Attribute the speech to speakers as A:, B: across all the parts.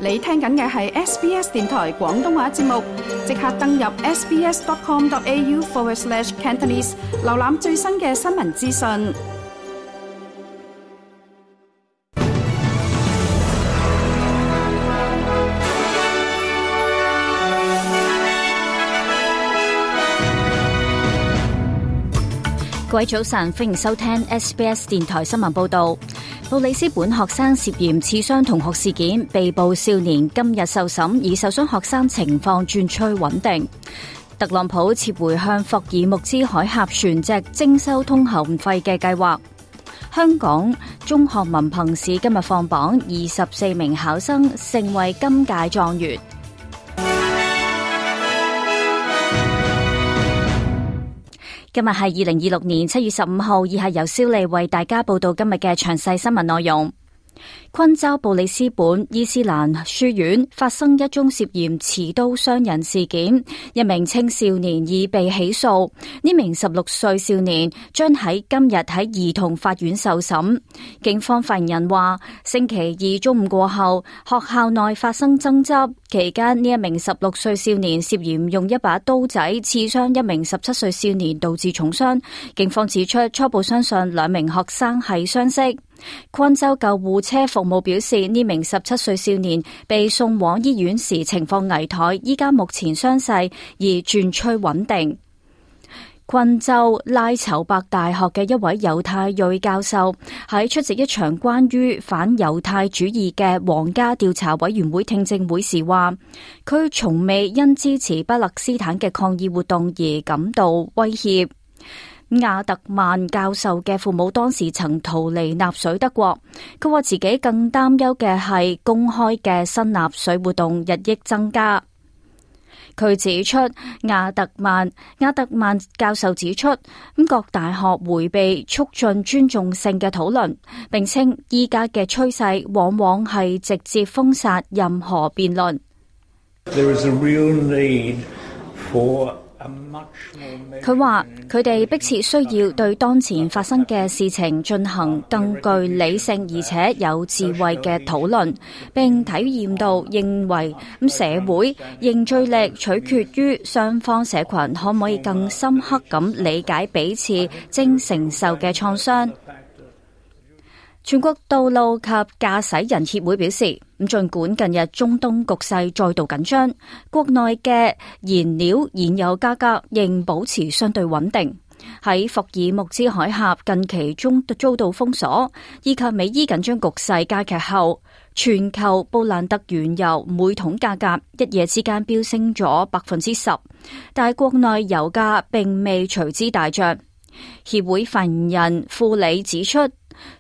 A: 你聽緊嘅係 SBS 電台廣東話節目，即刻登入 sbs.com.au/Cantonese 瀏覽最新嘅新聞資訊。
B: 各位早晨，歡迎收聽 SBS 電台新聞報道。布里斯本學生涉嫌刺傷同學事件被捕少年今日受審，而受傷學生情況轉趨穩定。特朗普撤回向霍爾木茲海峽船隻徵收通行費嘅計劃。香港中學文憑試今日放榜，24名考生成為今屆狀元。今日係2026年7月15號，以下由蕭莉為大家報道今日嘅詳細新聞內容。昆州布里斯本伊斯蘭書院發生一宗涉嫌持刀傷人事件，一名青少年已被起訴。呢名16歲少年將喺今日喺兒童法院受審。警方發言人話，星期二中午過後，學校內發生爭執，期間呢一名16歲少年涉嫌用一把刀仔刺傷一名17歲少年，導致重傷。警方指出，初步相信兩名學生係相識。昆州救護車服務表示，呢名17歲少年被送往醫院時情況危殆，依家目前傷勢已轉趨穩定。昆州拉籌伯大學嘅一位猶太裔教授喺出席一場關於反猶太主義嘅皇家調查委員會聽證會時話，佢從未因支持巴勒斯坦嘅抗議活動而感到威脅。亞特曼教授嘅父母當時曾逃離納粹德國，佢話自己更擔憂嘅係公開嘅新納粹活動日益增加。佢指出，亞特曼教授指出，各大學迴避促進尊重性嘅討論，並稱依家嘅趨勢往往係直接封殺任何辯論。
C: There is a real need for
B: 佢話佢哋迫切需要對當前發生嘅事情進行更具理性而且有智慧嘅討論，並體驗到認為社會凝聚力取決於雙方社群可唔可以更深刻咁理解彼此正承受嘅創傷。全國道路及駕駛人協會表示，儘管近日中東局勢再度緊張，國內嘅燃油價格仍保持相對穩定。喺霍爾木茲海峽近期遭到封鎖，以及美伊緊張局勢加劇後，全球布蘭特原油每桶價格一夜之間飆升咗 10%， 但係國內油價並未隨之大漲。協會發言人庫里指出，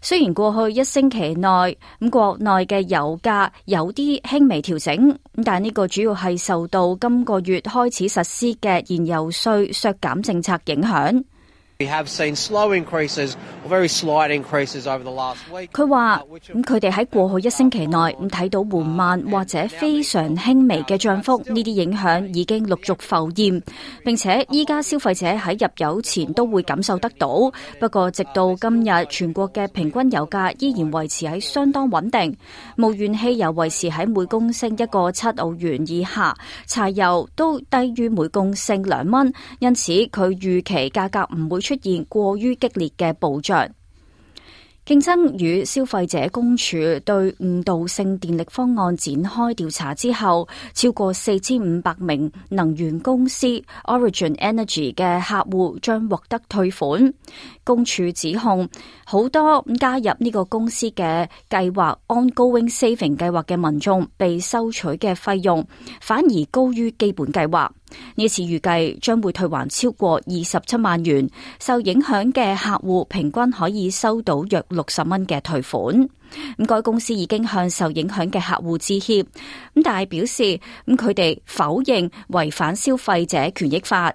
B: 雖然過去一星期內國內嘅油價有啲輕微調整，但呢個主要係受到今個月開始實施嘅燃油稅削減政策影響。
D: We have seen slow increases or very slight increases over the last week.
B: 佢話佢哋喺過去一星期內睇到緩慢或者非常輕微嘅漲幅，呢啲影響已經陸續浮現，並且依家消費者喺入油前都會感受得到。不過直到今日，全國嘅平均油價依然維持喺相當穩定，無鉛汽油維持喺每公升一個7澳元以下，柴油都低於每公升2蚊，因此佢預期價格唔會出現過於激烈嘅暴漲。競爭與消費者公署對誤導性電力方案展開調查之後，超過4500名能源公司 Origin Energy 嘅客戶將獲得退款。公署指控好多加入呢個公司嘅計劃 Ongoing Saving 計劃嘅民眾被收取嘅費用反而高於基本計劃。呢次預計將會退還超過27萬元，受影響嘅客戶平均可以收到約60蚊嘅退款。該公司已經向受影響嘅客戶致歉，但係表示佢哋否認違反消費者權益法。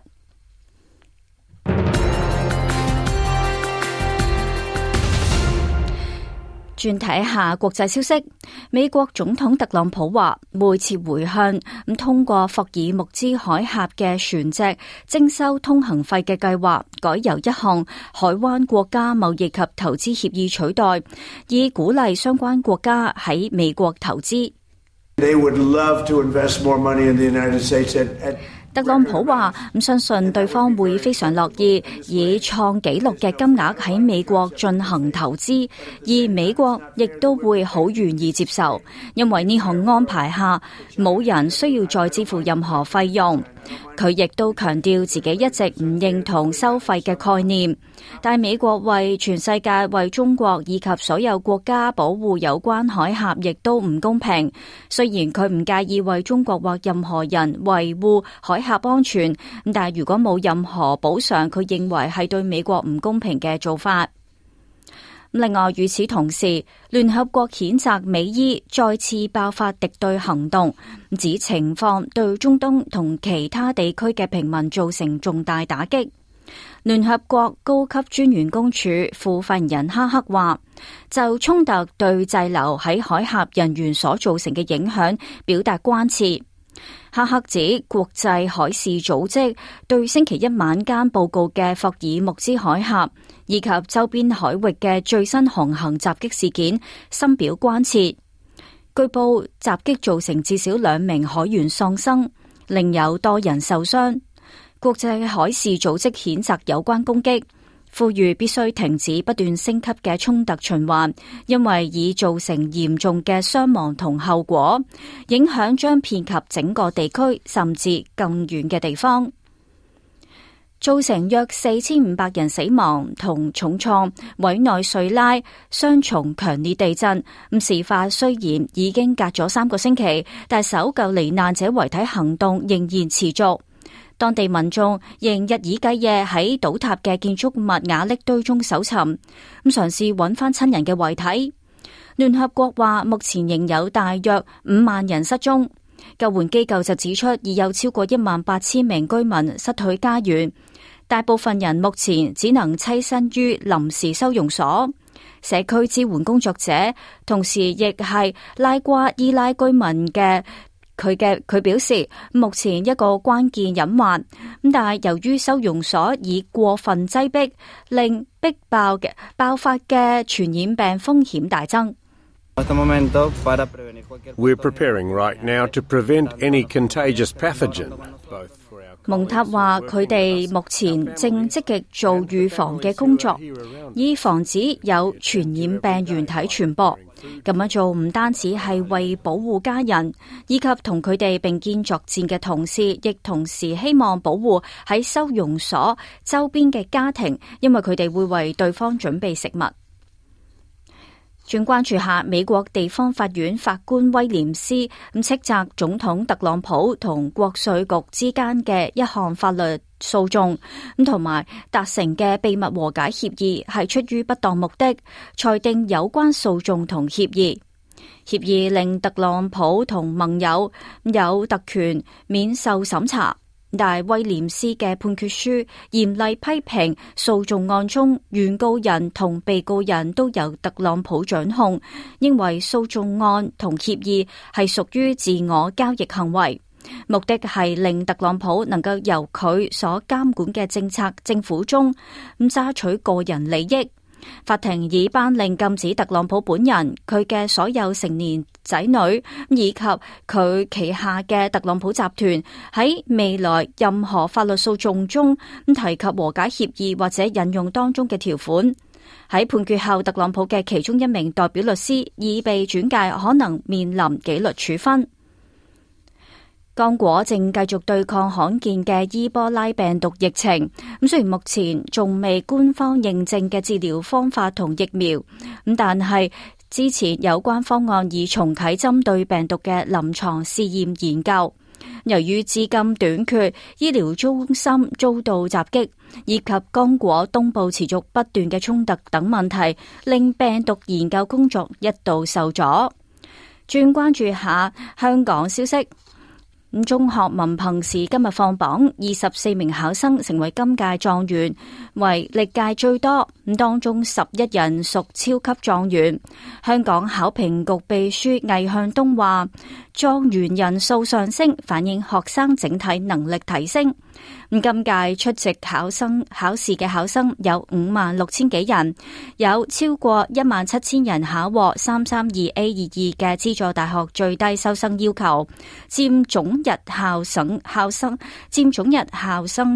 B: 轉睇下國際消息，美國總統特朗普話會撤回向通過霍爾木茲海峽嘅船隻徵收通行費嘅計劃，改由一項海灣國家貿易及投資協議取代，以鼓勵相關國家喺美國投資。
C: They would love to invest more money in the United States at
B: 特朗普話相信對方會非常樂意以創紀錄嘅金額喺美國進行投資，而美國亦都會好願意接受，因為呢項安排下冇人需要再支付任何費用。佢亦都強調自己一直唔認同收費嘅概念，但美國為全世界、為中國以及所有國家保護有關海峽亦都唔公平。雖然佢唔介意為中國或任何人維護海峽安全，但係如果冇任何補償，佢認為係對美國唔公平嘅做法。另外，與此同時，聯合國譴責美伊再次爆發敵對行動，指情況對中東同其他地區嘅平民造成重大打擊。聯合國高級專員公署副發言人哈克話，就衝突對滯留喺海峽人員所造成嘅影響表達關切。哈克指國際海事組織對星期一晚間報告嘅霍爾木茲海峽以及周邊海域嘅最新航行襲擊事件深表關切。據報襲擊造成至少2名海員喪生，另有多人受傷。國際海事組織譴責有關攻擊，呼籲必須停止不斷升級嘅衝突循環，因為已造成嚴重嘅傷亡同後果，影響將遍及整個地區甚至更遠嘅地方，造成約4500人死亡同重創，委內瑞拉雙重強烈地震。事發雖然已經隔咗3個星期，但搜救罹難者遺體行動仍然持續。當地民眾仍日以繼夜喺倒塌嘅建築物瓦礫堆中搜尋，嘗試揾翻親人嘅遺體。聯合國話目前仍有大約5萬人失蹤，救援機構就指出已有超過18000名居民失去家園，大部分人目前只能棲身於臨時收容所。社區支援工作者同時亦係拉瓜伊拉居民嘅。佢表示，目前一個關鍵隱患，但係由於收容所已過分擠迫，令逼爆嘅爆發嘅傳染病風險大增。
E: We're preparing right now to prevent any contagious pathogen.
B: 蒙塔話：佢哋目前正積極做預防嘅工作，以防止有傳染病原體傳播。咁樣做唔單止係為保護家人，以及同佢哋並肩作戰嘅同事，亦同時希望保護喺收容所周邊嘅家庭，因為佢哋會為對方準備食物。轉關注下美國地方法院法官威廉斯斥責總統特朗普同國稅局之間嘅一項法律訴訟，同埋達成嘅秘密和解協議係出於不當目的，裁定有關訴訟同協議令特朗普同盟友有特權免受審查。但威廉斯嘅判決書嚴厲批評訴訟案中原告人同被告人都由特朗普掌控，認為訴訟案同協議係屬於自我交易行為，目的係令特朗普能夠由佢所監管嘅政府中榨取個人利益。法庭已頒令禁止特朗普本人、佢嘅所有成年仔女以及佢旗下嘅特朗普集團喺未來任何法律訴訟中提及和解協議或者引用當中嘅條款。喺判決後，特朗普嘅其中一名代表律師已被轉介，可能面臨紀律處分。剛果正繼續對抗罕見嘅伊波拉病毒疫情，雖然目前仲未官方認證嘅治療方法同疫苗，但係之前有關方案已重啟針對病毒嘅臨床試驗研究。由於資金短缺、醫療中心遭到襲擊，以及剛果東部持續不斷嘅衝突等問題，令病毒研究工作一度受阻。轉關注下香港消息。中學文憑試今日放榜，24名考生成為今屆狀元，為歷屆最多。當中11人屬超級狀元。香港考評局秘書魏向東話，狀元人數上升，反映學生整體能力提升。今屆出席考試嘅考生有56,000幾人，有超過17,000人考獲 332A22 嘅資助大學最低收生要求，佔總日校生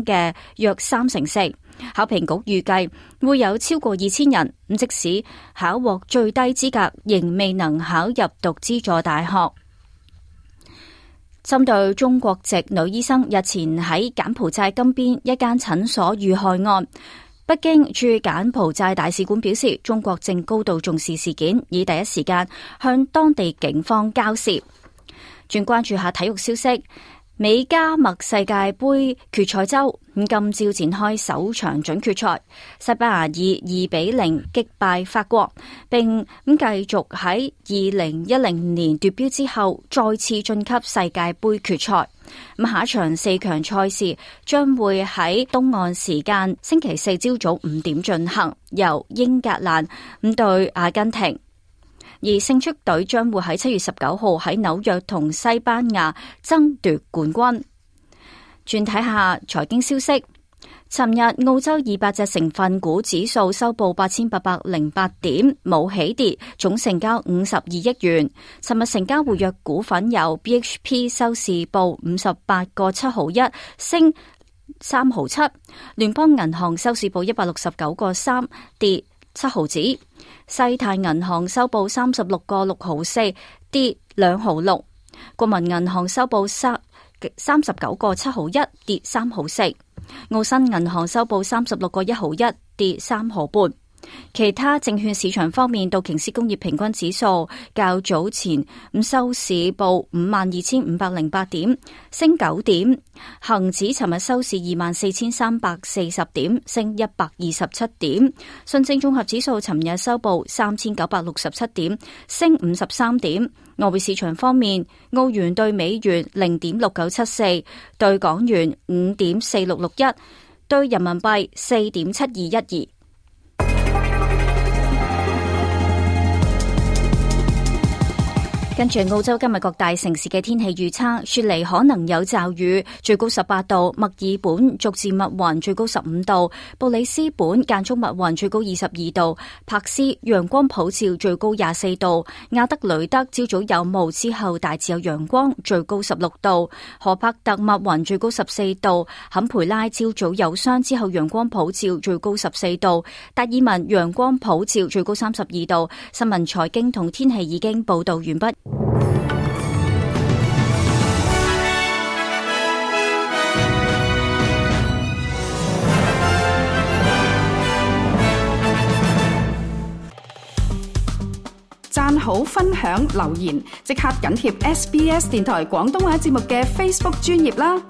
B: 嘅約34%。考評局預計會有超過2,000人，即使考獲最低資格，仍未能考入讀資助大學。針對中國籍女醫生日前喺柬埔寨金邊一間診所遇害案，北京駐柬埔寨大使館表示，中國正高度重視事件，以第一時間向當地警方交涉。轉關注下體育消息。美加墨世界盃決賽周今朝展開首場準決賽，西班牙以2-0擊敗法國，並繼續喺2010年奪標之後再次晉級世界盃決賽。下一場4強賽事將會喺東岸時間星期四朝早5點進行，由英格蘭對阿根廷。而勝出隊將會喺7月19號喺紐約同西班牙爭奪冠軍。轉睇下財經消息，尋日澳洲200隻成分股指數收報8808點，冇起跌，總成交52億元。尋日成交活躍股份有 BHP 收市報58個7毫1，升3毫7；聯邦銀行收市報169個3，跌7毫子。西太銀行收報36個6毫4，跌2毫6；國民銀行收報39個7毫1，跌3毫4；澳新銀行收報36個1毫1，跌3毫半。其他證券市場方面，道瓊斯工業平均指數較早前收市報52,508點，升9點；恒指尋日收市24,340點，升127點；上證綜合指數尋日收報3,967點，升53點。外匯市場方面，澳元兌美元0.6974，兌港元5.4661，兌人民幣4.7212。跟住澳洲今日各大城市嘅天氣預測，雪梨可能有驟雨，最高18度；墨爾本逐漸密雲，最高15度；布里斯本間中密雲，最高22度；柏斯陽光普照，最高24度；亞德雷德朝早有霧之後大致有陽光，最高16度；荷伯特密雲，最高14度；坎培拉朝早有霜之後陽光普照，最高14度；達爾文陽光普照，最高32度。新聞財經同天氣已經報道完畢。
A: 讚好、分享、留言，即刻緊貼SBS 電台廣東話節目嘅 Facebook 專頁啦！